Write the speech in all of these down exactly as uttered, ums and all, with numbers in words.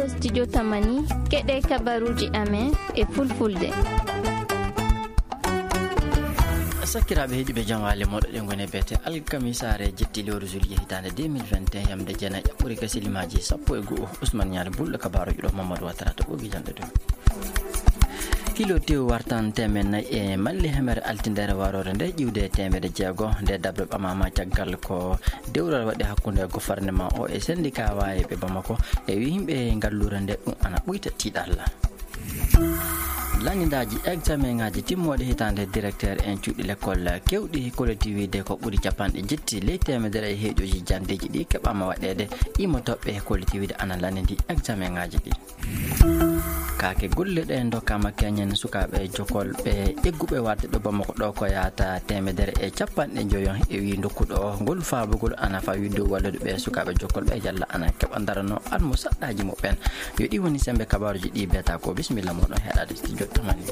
Studio Tamani, keɗe kabaruuji amen e fulfulde. Sakiraaɓe heɗiiɓe, jam waale mooɗo, ɗen ngoni beete alkamisaare jetti lewru juillet hitaande deux mille vingt et un, yamde jeenayi ɓuri ka silimaaji sappo e go'o. Ousmane Niang Bulɗo, kabaaruuji ɗo Mamadou Ouattara to ɓogi jande ɗum. Kilo tew wartan teemeɗɗe nayi e malli hemere altindere waroore nde ƴiwde teemeɗɗe jeego. Nde daɓre ɓamaama caggal ko dewral waɗi hakkunde gouvernement o e syndicat wayeɓe Bamako e wi yimɓe ngalluure nde ɗum ana ɓuyta tiiɗalla. Lanndindaaji examen ŋaaji timmooɗe hitaande directeur en cuuɗi l'école kewɗi kolliti wiide ko ɓuri capanɗe jetti ley teemedere e heeƴooji jandeeji ɗi keɓaama waɗeede. Immotooɓe kolliti wiide ana lanndindi examen ŋaaji ɗi. Kaake golle ɗe ndokkaama keñen sukaaɓe jokolɓe egguɓe warde ɗo Bamako ɗo ko yahata teemedere e capanɗe njoyo. E wi ndokkuɗo ngol faabugol ana fawii dow wallude ɓe sukaaɓe jokolɓe yalla ana keɓa darano almusaɗɗaaji muɓɓen. Yo ɗi woni sembe kabaaruuji ɗi beeta ko. Bisimilla mooɗon heɗaade studio Tamani.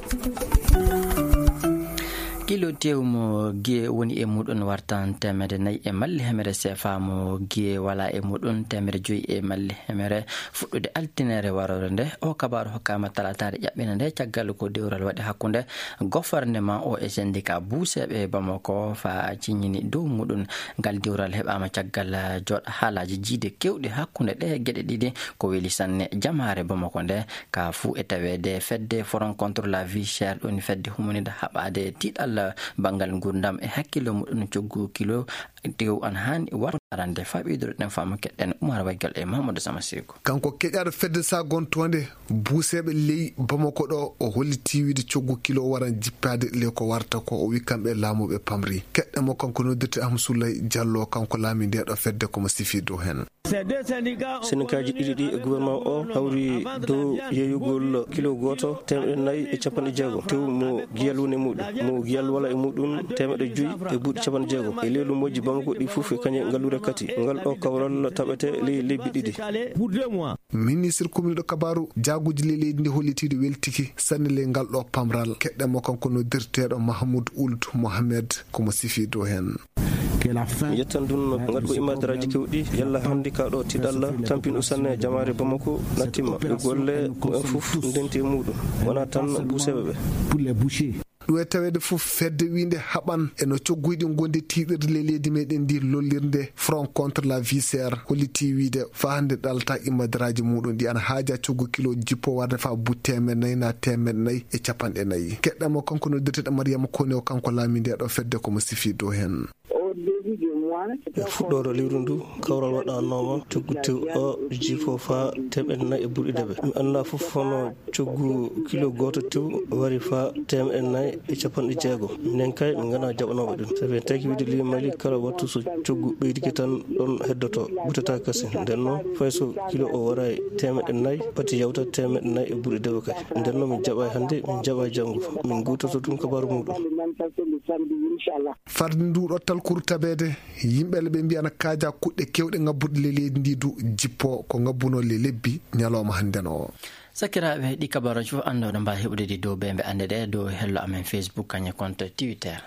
Kilo tew mo giye woni e muɗum wartan teemedde nayi e malli hemere seefa mo giye wala e muɗum teemedde joyi e malli hemere fuɗɗude altinere waroore nde. O kabaaru hokkaama talataare ƴaɓɓina nde caggal ko dewral waɗi hakkunde gouvernement o e syndicat buuseeɓe Bamako fa ciññini dow muɗum. Ngal dewral heɓaama caggal jooɗa haalaaji jiide kewɗi hakkunde ɗe geɗe ɗiɗi. Ko weli sanne jamaare Bamako nde ka fuu e taweede fedde Front contre la vie chère, ɗum fedde humanide haɓaade tiiɗalla banngal nguurndam e hakkillo muɗum coggu kilo tew an haani warde arande. Faɓidoro ɗen faamu keɗɗen Umar Waygal e Mamadou Sama Seko. Kanko keƴaaɗo fedde sagontoonde buuseeɓe ley Bamako ɗo, o holliti wiide coggu kilo waran jippaade ley ko warta ko. O wi kamɓe laamuɓe pamri keɗɗe mo kanko noddirte Ahmad Soulay Diallo, kanko laami nde ɗo fedde komo sifi dow heen. Senikaaji ɗiɗi ɗi e gouvernement o hawri dow yeeyugol kilo gooto teemedde nayi e capanɗe jeego tew mo giyal woni e muɗum, mo giyal wala e muɗum teemedde joyi e buuɗi capanɗe jeego. E lewlu moƴƴi Bamako ɗi fof e kañe ngalluure kati. Ngal ɗo kawral taɓete ley lebbi ɗiɗi. Ministre commune ɗo kabaaru jaaguuji ley leydi ndi hollitiiɗo weltiki sanne ley ngal ɗo pamral. Keɗɗe mo kanko noddirteeɗo Mahmoud Ould Mohamed komo sifi dow heen. Mi yettan ɗum ngal ko imadaraaji kewɗi, yalla hannde ka ɗo tiiɗalla tampinɗo sanne jamaare Bamako nattima e golle mumen fof ndenti e muɗum, wona tan buuseeɓe ɓe. Ɗum e taweede fof fedde wiinde haɓan e no cogguji ɗi ngondi tiiɗirde ley leydi meɗen ndi lollirde Front contre la vie chère holliti wiide fa hannde ɗalta imadaraaji muɗum ɗi ana haaja coggu kilo jippo warde fa buuɗi teemedde nayi na teemedde nayi e capanɗe nayi. Keɗɗe mo kanko noddirteeɗo Mariama Kone o, kanko laami nde ɗo fedde komo sifi dow heen. E fuɗɗoore lewru ndu, kawral waɗanooma coggu tew o jippo faa teemeɗɗe nayi e ɓurɗe dewe. Mi anndaa fof hono coggu kilo gooto tew wari faa teemeɗɗe nayi e capanɗe jeego. Minen kay, min nganaa jaɓanooɓe ɗum. Sabi en taki wiide ley Mali, kala wattu so coggu ɓeydike tan, ɗon heddoto, ɓutata kasi. Nden noon, fay so kilo o waray teemeɗɗe nayi, pati yawta teemeɗɗe nayi e ɓurɗe dewe kay. Nden noon, min jaɓay hannde, min jaɓay janngo. Min ngoototo tun kabaaru muɗum. Fardi ndu ɗo talkuru tabeede, yimɓe le ɓe mbiya na kaaja kuɗɗe kewɗe ngabbuɗe le leydi ndi du jippo ko ngabbunoo le lebbi ñalawma hannden o. Sakiraaɓe, ɗi kabaruuji fof annduɗo mbaawi heɓude ɗi dow ɓe mbe annde ɗe dow hello amen Facebook, kañe compte Twitter.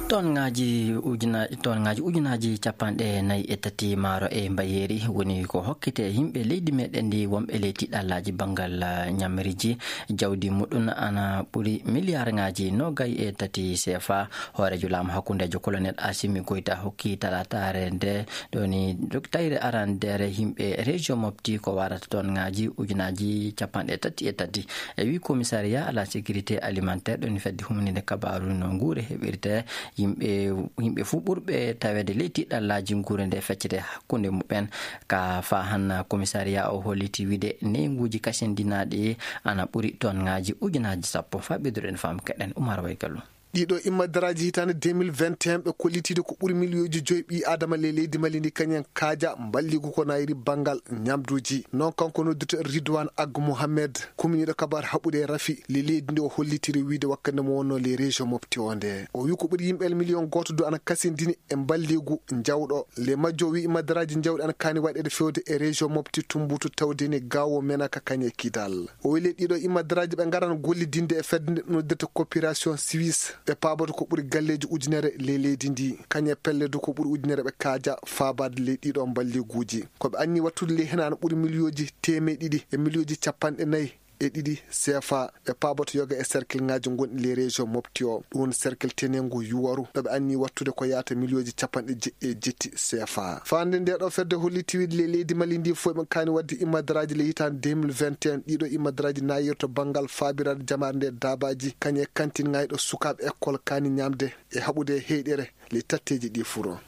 Ton ngaji ujuna-, ton ngaji ujunaaji capanɗe nayi e tati maaro e mbayeeri woni ko hokkete yimɓe leydi meɗen ndi wonɓe ley tiɗallaaji banngal, ah, ñamriji jawdi muɗum ana ɓuri miliyar ngaji nogay e tati C F A. Hooreejo laamu hakkundeejo Colonel Assimi Goïta hokki talataare nde ɗoni tayre arandeere yimɓe région Mopti ko warata ton ngaji ujunaaji capanɗe tati e tati. E wi commissariat à la sécurité alimentaire ɗoni fedde humninde kabaaru no nguure heɓirte yimɓe, yimɓe fuu ɓurɓe taweede ley tiɗallaaji nguure nde feccete hakkunde muɓɓen. Ka fa hanna commissariat o holliti wiide neynguuji kasindinaaɗi ana ɓuri ton ngaji ujunaaji sappo. Fa ɓeyduɗen faamu keɗen Umar Waygalu. Ɗiɗo immadaraaji hitaande deux mille vingt et un ɓe kollitiiɗo ko ɓuri miliyooji joyi ɓii Aadama ley leydi Mali ndi kañum en kaaja mballigu ko nayri banngal ñamduuji. Noon kanko noddirte Ridwan Ag Mohamed, kuminiiɗo kabaar haɓude e rafi ley leydi ndi o hollitiri wiide wakkande mo wonnoo ley région Mopti o nde. O wi ko ɓuri yimɓe miliyon gooto du ana kasindini e mballigu njawɗo. Ley majjo o wi immadaraaji njawɗi ana kaani waɗeede fewde e région Mopti, Tumbutu, Tawdeni, Gaawo, Menaka, kañe Kidal. O weli ɗiɗo immadaraaji ɓe ngaran gollidinde e fedde nde noddirte coopération suisse. ɓe paaboto ko ɓuri galleeji ujunere ley leydi ndi. Kañe pelle du ko ɓuri ujunere ɓe kaaja faabaade ley ɗiɗo mballiguuji. Ko ɓe anni wattude ley heen ana ɓuri miliyooji teemeɗe ɗiɗi e miliyooji capanɗe nayi e ɗiɗi C F A. Ɓe paaboto yoga e cercle ŋaaji gonɗi ley région Mopti o. Ɗum woni cercle tenengu Yuwaru, ɗo ɓe anni wattude ko yaata miliyooji capanɗe jeɗɗi e jetti C F A. Faande nde ɗo fedde holli tiwiide ley leydi Mali ndi fof ɓe kaani waɗde imadaraaji ley hitaande deux mille vingt et un. Ɗiɗo imadaraaji naayirta banngal faabiraade jamaare nde daabaaji, kañe kantin ŋayɗo sukaaɓe école kaani ñaamde e haɓude heyɗere ley tatteeji ɗi furo.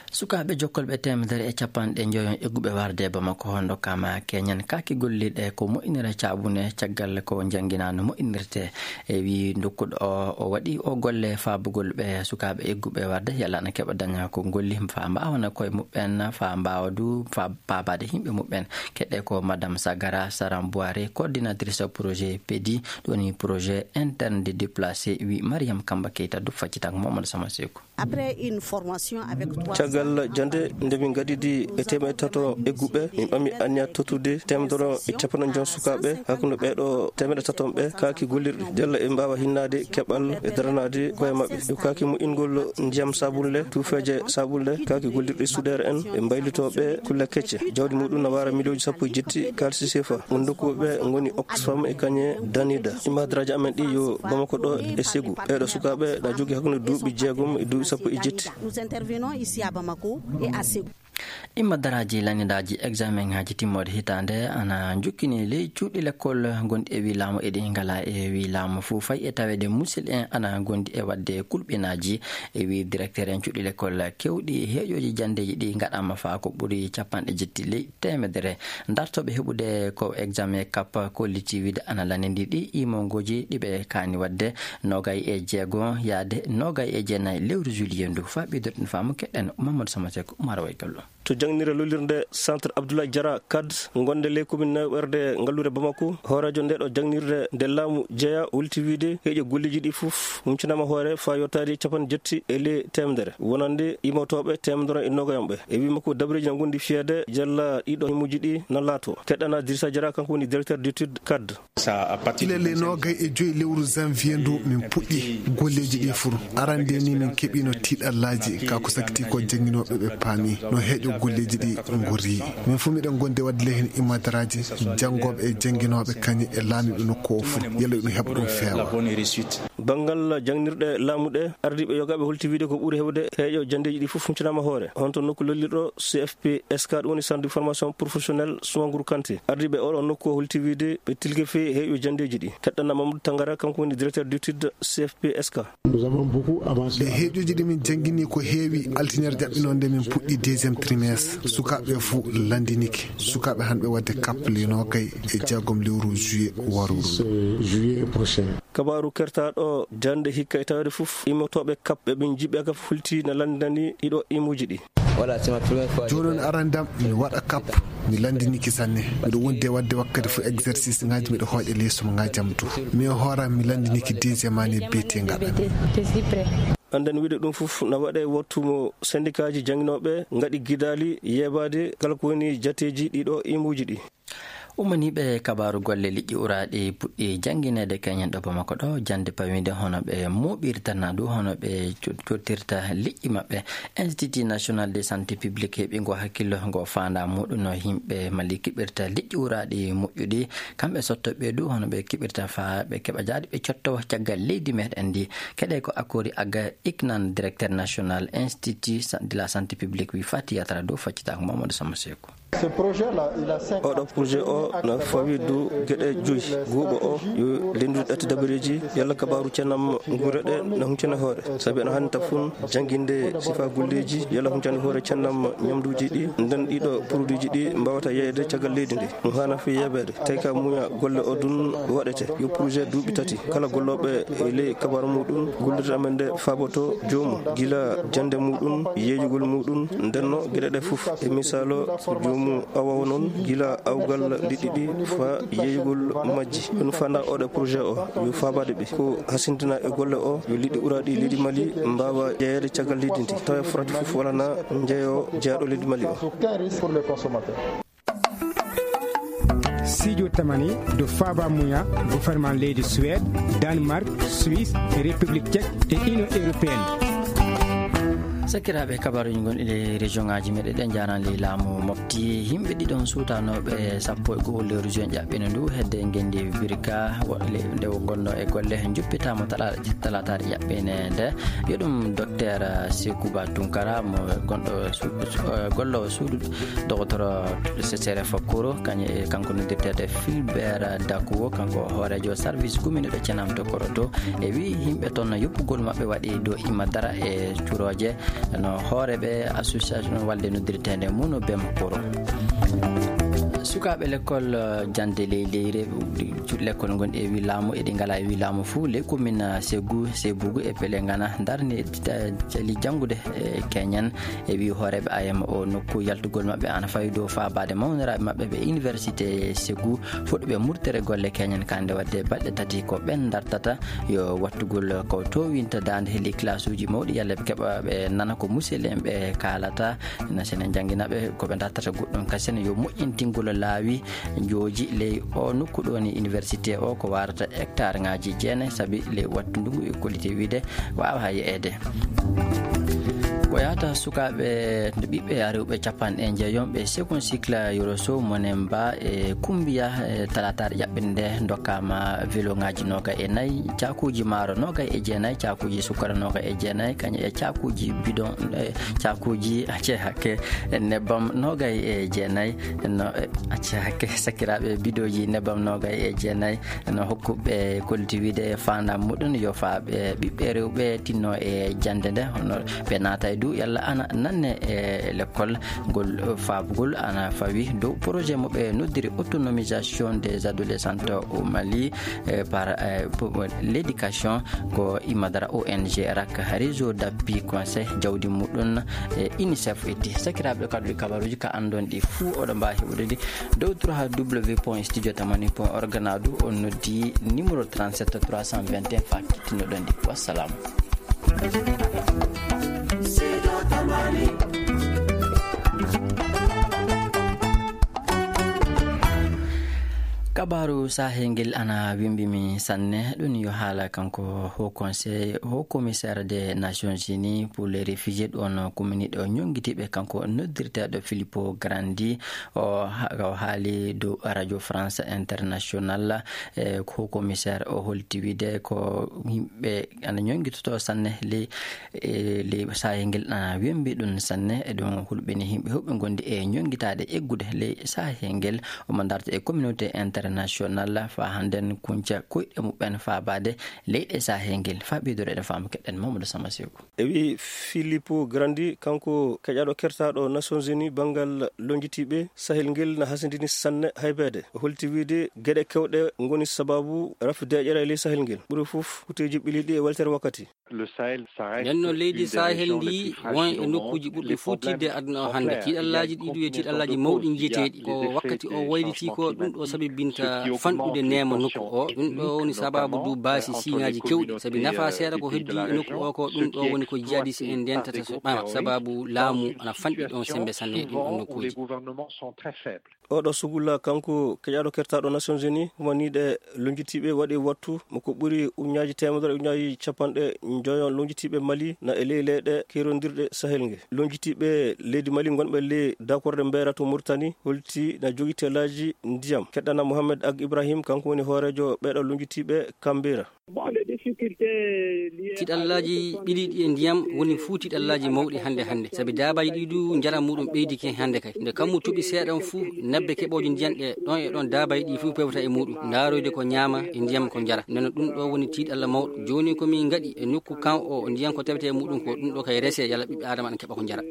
Sukaaɓe jokkolɓe teemedere e capanɗe njoyon egguɓe warde Bamako hondo kama keñen kaaki golliɗe ko moƴƴinere caabune caggal ko njannginaano moƴƴinirte. E wi ndokkuɗo o, o waɗi o golle faabugol ɓe sukaaɓe egguɓe warde yalla na keɓa daña ko golli fa mbaawana koye muɓɓen, fa mbaawa du fa paabaade yimɓe muɓɓen. Keɗe ko Madame Sagara Saramboire, coordinatrice projet pedi, ɗoni projet interne de déplacé, wi Mariam Kamba Keita du faccitako Mamadou Sama Seku. Après une formation avec trois cents caggal jannde nde min ngadidi e teemeɗe tato egguɓe, min ɓami anniya tottude teemedere e capanɗe joon sukaaɓe hakkunde ɓeeɗo teemeɗe taton ɓe kaaki gollirɗi jalla e mbaawa hinnaade keɓal e daranaade koye maɓɓe. Yo kaaki moƴƴingol ndiyam sabunle, tuufeeje sabunle, kaaki gollirɗi suudeere en e mbaylitooɓe kulle kecce. Jawdi muɗum na waara miliyooji sappo e jetti kaalisi sefa. Won ndokkuɓe ngoni Oxfam e kañe Danida. Imadraaji amen ɗi yo Bamako ɗo e Ségou. Ɓeeɗo sukaaɓe na jogii hakkunde duuɓi jeegom e duuɓi sappo e jetti. Nous intervenons ici à Bamako et à Ségou. Imadaraaji lanidaaji examen ŋaaji timmoode hitaande ana njukkini ley cuuɗi lekkol gonɗi e wi laamu eɗi ngala e wi laamu fuu fay e taweede musil en ana gondi e waɗde kulɓinaaji. E wi directeur en cuuɗi lekkol kewɗi heeƴooji janndeeji ɗi ngaɗaama faa ko ɓuri capanɗe jetti ley teemedere. Dartooɓe heɓude ko examen kap kolliti wiide ana lanindi ɗi imongooji ɗi ɓe kaani waɗde nogay e jeego yaade nogay e jeenayi lewru juillet ndu. Faa ɓeydoɗen faamu keɗen Mamadou Samasek Umar Waykallo. To jangnirde lollirde Centre Abdoulaye Diarra Kad, gonde ley commune Newɓerde ngalluure Bamako, hooreejo nde ɗo jangnirde nde laamu jeya holti wiide heeƴo golleeji ɗi fof huncinaama hoore faa yottaade capanɗe jetti e ley teemedere, wonande imotooɓe teemedere e nogayon ɓe. E wii makko, dabareeji na ngondi fiyeede jalla ɗiɗo himuji ɗi na laato. Keɗɗana Dirisa Diarra, kanko woni directeur d'étude Kad. Gila le noogay e joy lewru janvier ndu min puɗɗi golleeji ɗi fuu. Arande ni min keɓino tiiɗallaaji ka ko sakiti ko jannginooɓe ɓe paami no heeƴo golleeji ɗi ngori. Min fuu miɗen gondi waɗde le heen imadaraaji janngooɓe e jannginooɓe kañum e laamiiɓe nokku o fuu. Yalla ɗum heɓa ɗum feewa. Banngal jangnirɗe laamu ɗe, ardiiɓe yogaaɓe holti wiide ko ɓuri heewde heeƴo janndeeji ɗi fof huncinaama hoore. Honto nokku lollirɗo C F P S K, ɗum woni Centre de Formation Professionnelle Soumanguru Kanté. Ardiiɓe oɗo nokku o holti wiide ɓe tilke feewi heeƴo janndeeji ɗi. Keɗɗana Mamadou Tangara, kanko woni directeur d'étude C F P S K. Ɗe heeƴooji ɗi min janngini ko heewi, altine jaɓɓinoo nde min puɗɗi deuxième trimestre. Sukaaɓe fof lanndinike. Sukaaɓe hannde waɗde kappale noogay e jeegom lewru juillet waruɗo. Kabaaru kertaaɗo jannde hikka e taweede fof, immotooɓe kap ɓe ɓe njiɓɓe ka fulti na lanndinani ɗiɗo imuji ɗi. Jooni on arandam mi waɗa kap, mi lanndiniki sanne. Miɗo wondi e waɗde wakkati fof exercice ngaji, miɗo hooƴa leeso mo ngajam to. Mi e hooram mi lanndiniki deuxième année B T ngaɗa. Annden wiide ɗum fof na waɗe wattu mo syndicat ji jannginooɓe ngaɗi gidaali yeebaade kala ko woni jateeji ɗiɗo imuji ɗi. Ummaniiɓe kabaaru golle liƴƴi uraaɗi puɗɗi janngineede keñen ɗo Bamako ɗo, jannde pawiinde hono ɓe mooɓirta na du hono ɓe co-, cottirta liƴƴi maɓɓe. Institut National de Santé Publique heɓi ngo hakkillo ngo faanda muɗum no yimɓe Mali kiɓirta liƴƴi uraaɗi moƴƴuɗi. Kamɓe sotto ɓe du hono ɓe kiɓirta faa ɓe keɓa jaaɗi ɓe cotto caggal leydi meɗen ndi. Keɗe ko Akori Aga Iknan, directeur national Institut Sa-, de la Santé Publique, wi Fati Yatara dow faccitaako Mamadou Samba Seku. Oɗo projet o na fawi du geɗe joyi. Guuɓo o yo lenndude ɗatti dabareeji, yalla kabaaru cennam nguure ɗe na huncana hoore. Sabi ana hannta fun jannginde sifa golleeji, yalla huncande hoore cennam ñamduuji ɗi, nden ɗiɗo produit ji ɗi mbaawata yeeyde caggal leydi ndi. Ɗum haana fi yeebeede. Tawi ka muña golle o dun waɗete. Yo projet duuɓi tati. Kala gollooɓe e ley kabaaru muɗum, gollirde amen nde faaboto joomu, gila jannde muɗum, yeeyugol muɗum, ndenno geɗe ɗe fof. E misaalo, joomu awa o noon, gila awgal liɗɗi ɗi faa yeeyugol majji. Ɗum fanda oɗo projet o, yo faabaade ɓe. Ko hasintina e golle o, yo liɗɗi uraaɗi leydi Mali mbaawa jeyeede caggal leydi ndi. Tawa forati fof wala na njeyo jeyaaɗo leydi Mali o. Sijo tamani do faba muya gouvernement leydi Suède, Danemark, Suisse, République Tchèque et Union Européenne. Sakiraaɓe, kabaruuji gonɗi e région ŋaaji meɗe ɗen jaarani ley laamu Mopti. Yimɓe ɗiɗon suutanooɓe sappo e go'o lewru juin ƴaɓɓino ndu hedde ngenndi Birka, wo-, le-, nde o gonno e golle, njuppitaama talaata, talaataare ƴaɓɓine nde. Yo ɗum Docteur Sekouba Tunkara, mo gonɗo su-, su-, eh, gollowo suudu Docteur Sesere Fakoro, kañ-, eh, kanko noddirteede Filbert Dakuwo, kanko hooreejo service guminiiɗo Cenam to Koroto, e wi yimɓe toon no yoppugol maɓɓe waɗi dow Imadara e curooje no hooreeɓe association walde noddirteende Muno Bem Koro. Sukaaɓe lekkol, eh, jannde ley leyre, lekkol ngon e wi laamu, eɗi ngala e wi laamu fuu, ley commune, eh, Segou, Sebugu e Pelengana, ndarni, eh, cali janngude, eh, keñen. E wi hooreeɓe A M O nokku yaltugol maɓɓe ana fawi dow faabaade mawniraaɓe maɓɓe ɓe université Segou, fuɗɗuɓe murtere golle keñen kande wadde balɗe tati ko ɓen dartata yo wattugol ko towinta daande heli classe uji mawɗi, yalla ɓe keɓa ɓe nana ko musel en ɓe kaalata, na sene janngina ɓe ko ɓe dartata goɗɗum kasen yo moƴƴintingol laawi jooji ley o nokku ɗo ni université o ko warata hectare ŋaaji jeenayi, sabi ley wattu ndungu e kolite wiide waawa yeeyeede. Ko yahata sukaaɓe ɓiɓɓe rewɓe capanɗe njeeyom ɓe second cycle Yoroso Monemba e Kumbiya, e talaataare ƴaɓɓinde nde ndokkaama velo ŋaaji noogay e nayi, caakuuji maaro noogay e jeenayi, caakuuji sukkara noogay e jeenayi, kañum e caakuuji bidon, e caakuuji acce hakke nebbam noogay e jeenayi, no, e acce hakke sakiraaɓe bidooji nebbam noogay e jeenayi. No hokkuɓe kolti wiide faandaam muɗum yo faaɓe ɓiɓɓe rewɓe tinno e jannde nde, hono ɓe naata e du yalla ana nanne e lekkol ngol, faabugol ana fawi dow projet mo ɓe noddiri autonomisation des adolescents au Mali, eh, par, eh, pour l'éducation ko Imadara O N G rak réseau d'appui conseil jawdi muɗum, eh, UNICEF itti. Sakiraaɓe, kaddu ɗi kabaruuji ka anndon ɗi fuu oɗo mbaawi heɓude ɗi dow trois W point studio tamani point org, na du on noddi numéro trente-sept trois cent vingt et un fa kittinoɗon ɗi. Wassalam. Kabaaru sahel ngel ana wimbi mi sanne, ɗum yo haala kanko Haut Conseil, Haut Commissaire des Nations Unies pour les Réfugiés, ɗon kuminiɗo ñonngitiiɓe, kanko noddirteeɗo Filippo Grandi. O ha-, o haali dow Radio France Internationale, e ko commissaire o holti wiide ko yimɓe ana ñonngitoto sanne ley, e ley sahel ngel ana wembi ɗum sanne. E ɗum hulɓini yimɓe huɓɓe ngondi e ñonngitaade eggude ley sahel ngel. Omo darta e communauté internationale faa hannden kunca koyɗe muɓɓen faabaade leyɗe sahel ngel. Faa ɓeydoro eɗen faama keɗen Mamadou Sama Seku. E wi Filippo Grandi, kanko keƴaɗo kertaɗo Nations Unies banngal lonjitiiɓe, sahel ngel na hasindini sanne haybeede. O holti wiide geɗe kewɗe ngoni sababu rafi deeƴere e ley sahel ngel. Ɓuri fof kuteeji ɓiliiɗi e weltere wakkati. Nden noon leydi sahel ndi won e nokkuuji ɓurɗi fuu tiiɗde e aduna o hannde. Tiiɗallaaji ɗi ɗum e tiiɗallaaji mawɗi njiyeteeɗi. Ko wakkati o wayliti ko ɗum ɗo sabibinta fanɗude neema nokku o. Ɗum ɗo woni sababu du baasi siiŋaaji kewɗi. Sabi nafa seeɗa ko heddi e nokku o ko ɗum ɗo woni ko jihadis en ndentata so ɓama. Sababu laamu ana fanɗi ɗon sembe sanne e ɗin ɗon nokkuuji. Oɗo sugulla kanko keƴaɗo kertaɗo Nations Unies, humaniiɗe lonjitiiɓe waɗi wattu mo ko ɓuri uñaaji teemedere, uñaaji capanɗe njoyo lonjitiiɓe Mali na e ley leyɗe kerondirɗe sahel nge. Lonjitiiɓe leydi Mali ngonɓe ley dakorde mbeera to Mauritanie holti na jogi telaaji ndiyam. Keɗɗana Mohamed Ag Ibrahim, kanko woni hooreejo ɓeeɗo lonjitiiɓe Kambira. Tiɗallaaji ɓiliiɗi e ndiyam woni fuu tiɗallaaji mawɗi hannde hannde. Sabi daabaji ɗi du njaram muɗum ɓeydike hannde kay. Nde kammu toɓi seeɗan fuu, nebbe keɓooje ndiyam ɗe ɗon e ɗon daabaji ɗi fuu pewta e muɗum. Ndaaroyde ko ñaama e ndiyam ko njara. Neno ɗum ɗo woni tiɗalla mawɗo. Jooni ko min ngaɗi e nokku kan o ndiyam ko tawete e muɗum ko ɗum ɗo kay rese yalla ɓiɓɓe Aadama ana keɓa ko njara.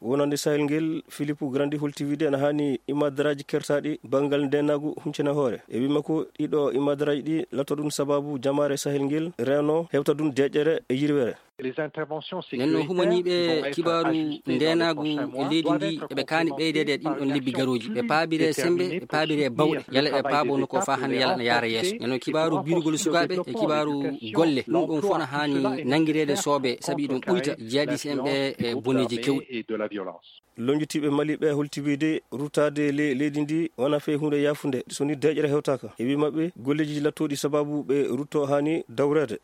Wonande sahel ngel, Filippo Grandi holti wiide ene haani imadaraaji kertaaɗi banngal ndeenaagu huncina hoore. E wii makko, ɗiɗo imadaraaji ɗi lato ɗum sababu jamaare sahel ngel reeno hewta ɗum deeƴere e yirwere. Nden noon humaniiɓe kibaaru ndeenaagu e leydi ndi eɓe kaani ɓeydeede e ɗin ɗon lebbi garooji, ɓe paabire sembe, ɓe paabire bawɗe, yala ɓe paabo no ko faa hannde yala na yaara yeeso. Nden noon kibaaru biirugol sukaaɓe e kibaaru golle, ɗum ɗon fof na haani nanngireede soobe, sabi ɗum ɓuyta jihadis en ɓe e boneeji kewɗi. Lonjitiiɓe Mali ɓe holti wiide rutaade le leydi ndi wona fey huunde yaafunde so ni deeƴere hewtaaka. E wi maɓɓe golleeji lattooɗi sababu ɓe rutto haani dawreede.